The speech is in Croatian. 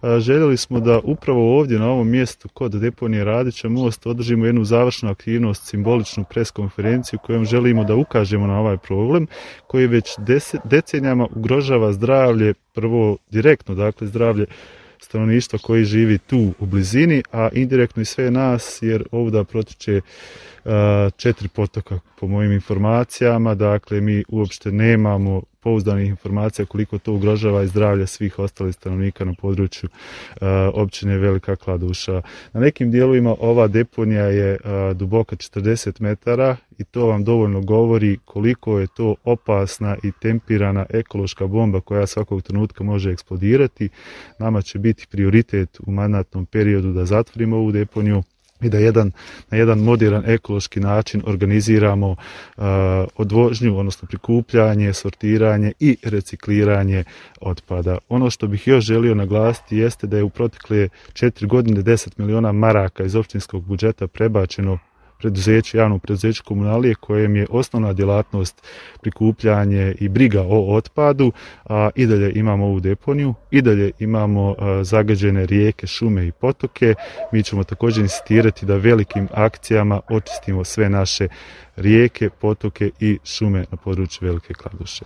Željeli smo da upravo ovdje na ovom mjestu kod deponije Radića Most održimo jednu završnu aktivnost, simboličnu preskonferenciju kojom želimo da ukažemo na ovaj problem koji već decenijama ugrožava zdravlje, prvo direktno, dakle zdravlje stanovništva koji živi tu u blizini, a indirektno i sve nas jer ovdje protiče 4 potoka po mojim informacijama, dakle mi uopšte nemamo pouzdanih informacija koliko to ugrožava i zdravlje svih ostalih stanovnika na području općine Velika Kladuša. Na nekim dijelovima ova deponija je duboka 40 metara i to vam dovoljno govori koliko je to opasna i tempirana ekološka bomba koja svakog trenutka može eksplodirati. Nama će biti prioritet u mandatnom periodu da zatvorimo ovu deponiju i da na jedan moderan ekološki način organiziramo odvožnju, odnosno prikupljanje, sortiranje i recikliranje otpada. Ono što bih još želio naglasiti jeste da je u protekle 4 godine 10 miliona maraka iz općinskog budžeta prebačeno javnom preduzeću Komunalije kojem je osnovna djelatnost prikupljanje i briga o otpadu, a i dalje imamo ovu deponiju, i dalje imamo zagađene rijeke, šume i potoke. Mi ćemo također insistirati da velikim akcijama očistimo sve naše rijeke, potoke i šume na području Velike Kladuše.